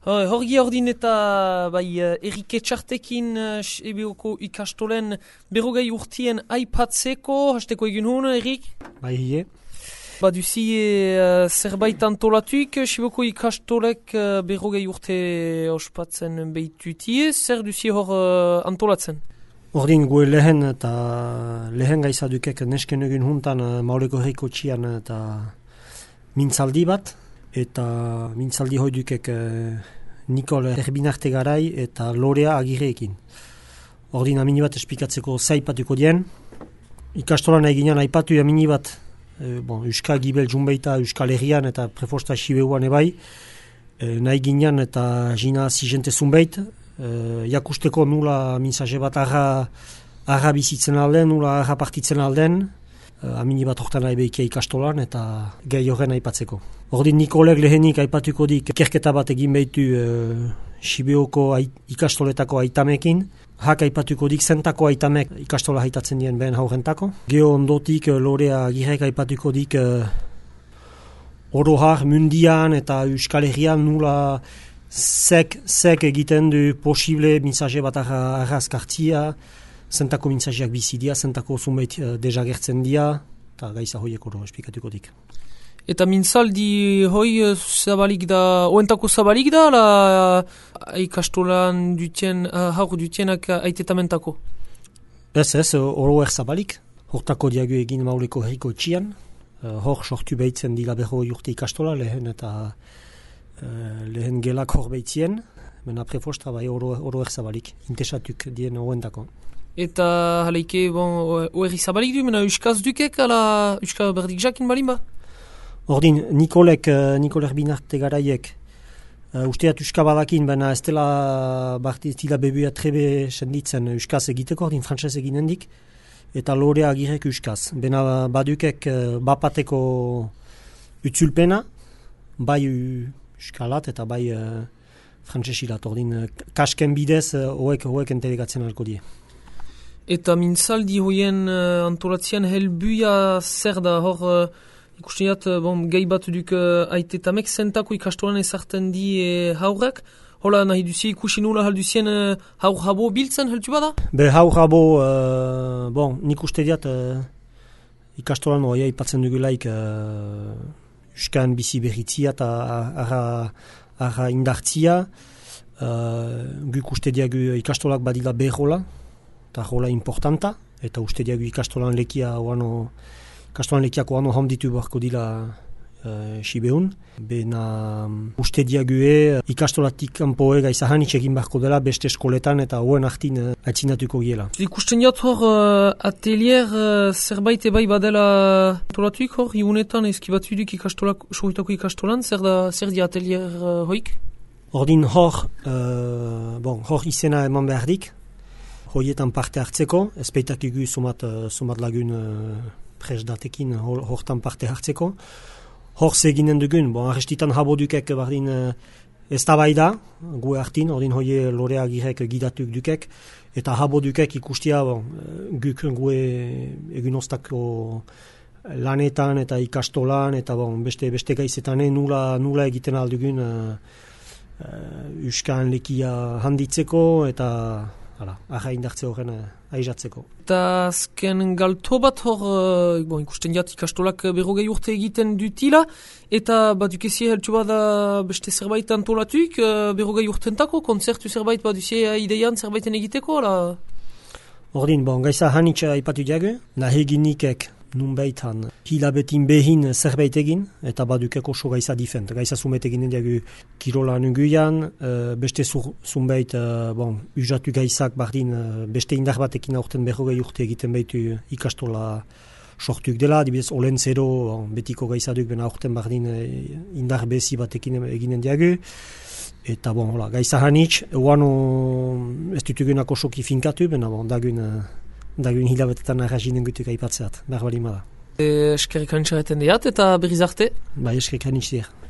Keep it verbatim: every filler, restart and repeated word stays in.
Horgi ordin eta bai, Erike Txartekin Sibioko ikastolen berrogei urtien aipatzeko, hasteko egin hon, Erik? Bai, hie. Baduzi uh, zerbait antolatuik, Sibioko ikastolek uh, berrogei urte ospatzen behitutie, zer duzi hor uh, antolatzen? Ordin gue lehen eta lehen gaizadukek nesken egin huntan uh, Mauleko herriko txian eta mintzaldi bat, eta mintzaldi hoidukek uh, Nikol Erbinarte Garai eta Lorea Agireekin. Ordin amini bat espikatzeko zaipatuko dien. Ikastolan eginan aipatu amini bat e, bon, Euskal Gibel Junbeita Euskal Herrian eta prefosta Sibeuan ebai. E, nahi ginen eta jina zizente zunbeit. E, jakusteko nula minzaje bat arra, arra bizitzen alden, nula arra partitzen alden. E, amini bat hortan nahi behikia ikastolan eta gai horren aipatzeko. Ordin Nikolek lehenik aipatuko dik kerketa bat egin behitu e, Sibioko ait, ikastoletako aitamekin. Hak aipatuko dik zentako aitamek ikastola haitatzen dien behen haurentako. Geo ondotik Lorea Agirek aipatuko dik e, orohar mundian eta Euskal Herrian nula zek, zek egiten du posible minzaje bat arrazkartzia, zentako mintzajeak bizidia, zentako zunbait e, dejagertzen dia, eta gaiza hoiek oro esplikatuko dik. Eta mintzaldi hoi zabalik da, oentako zabalik da, la ikastolan dutien, haur dutienak aitetamentako? Ez ez, oro er zabalik. Hortako diagu egin Mauleko herriko txian. Hor sortu behitzen dila berro urte ikastola, lehen eta lehen gelak hor behitzien. Mena prefosta bai oro, oro er zabalik, intesatuk dien oentako. Eta haleike, bon, oerri zabalik du, mena euskaz dukek, ala euskaz berdik jakin balin ba? Ordin, Nikolek, Nikol Erbinarte Garaiek, uh, usteat euskabalakin, baina ez dela barti ez dila bebuia trebe senditzen euskaz egiteko, ordin frantzez eginen dik, eta Lorea Agirek euskaz. Bena badukek uh, bapateko utzulpena, bai euskalat eta bai uh, frantzezilat, ordin uh, kasken bidez uh, hoek, hoek entelegatzen alko die. Eta mintzaldi hoien uh, antolatzean helbuia zer da hor... Uh, Ikusten bon, gai bat duk uh, aitetamek zentako ikastolan ezartzen di e, haurrak. Hola nahi duzi ikusi nula halduzien uh, haur habo biltzen heltu bada? Be haur habo, uh, bon, nik uste diat uh, ikastolan oia ipatzen dugulaik uh, Euskan bizi berritzia eta arra, arra indartzia. Uh, guk uste diagu ikastolak badila behola, eta hola importanta, eta uste diagu ikastolan lekia oano Kastolan lekiako ano handitu beharko dila uh, Sibeun. Bena um, uste diague ikastolatik kanpoe gaizahan itxegin beharko dela beste eskoletan eta hoen hartin uh, atzinatuko giela. Ikusten jat hor uh, atelier uh, zerbait ebai badela tolatuik hor, iunetan ezkibatu duk ikastolak, sohitako ikastolan, zer, da, zer di atelier uh, hoik? Ordin hor, uh, bon, hor izena eman behardik, hoietan parte hartzeko, ezpeitakigu sumat, uh, sumat lagun uh, presdatekin hortan parte hartzeko. Hor zeginen dugun, bon, arrestitan habodukek bardin uh, ez da bai da, gu hartin, ordin hoie Lorea Agirek gidatuk dukek, eta habodukek ikustia, bon, guk gue egunostako lanetan eta ikastolan, eta bon, beste, beste gaizetan nula, nula egiten aldugun uh, uh, Euskan lekia handitzeko, eta hala, arra indartze horren uh, aizatzeko. Eta azken galto bat hor, uh, bon, ikusten jat ikastolak berrogei urte egiten dutila, eta badukezie heltu bada beste zerbait antolatuik, uh, berrogei urtentako, konzertu zerbait baduzie ideian zerbaiten egiteko, la? Ordin, bon, gaiza hanitza ipatu diagu, nahi ginikek nunbaitan hilabetin behin zerbait egin, eta badukeko oso gaiza difent. Gaiza zumbait eginen diagu kirola nunguian, uh, beste zumbait, uh, bon, usatu gaizak bardin uh, beste indar batekin aurten berrogei urte egiten behitu ikastola sortuk dela, dibidez olen zero, bon, betiko gaiza duk bena aurten bardin uh, indar bezi batekin eginen diagu. Eta bon, hola, gaiza hanitz, uano ez dutugunak osoki finkatu, bena bon, dagun... Uh, dagun hilabetetan arrazinen gutuk aipatzeat, behar bali mada. E, eskerrik hanitzaretan diat eta berriz arte? Bai, eskerrik hanitz diat.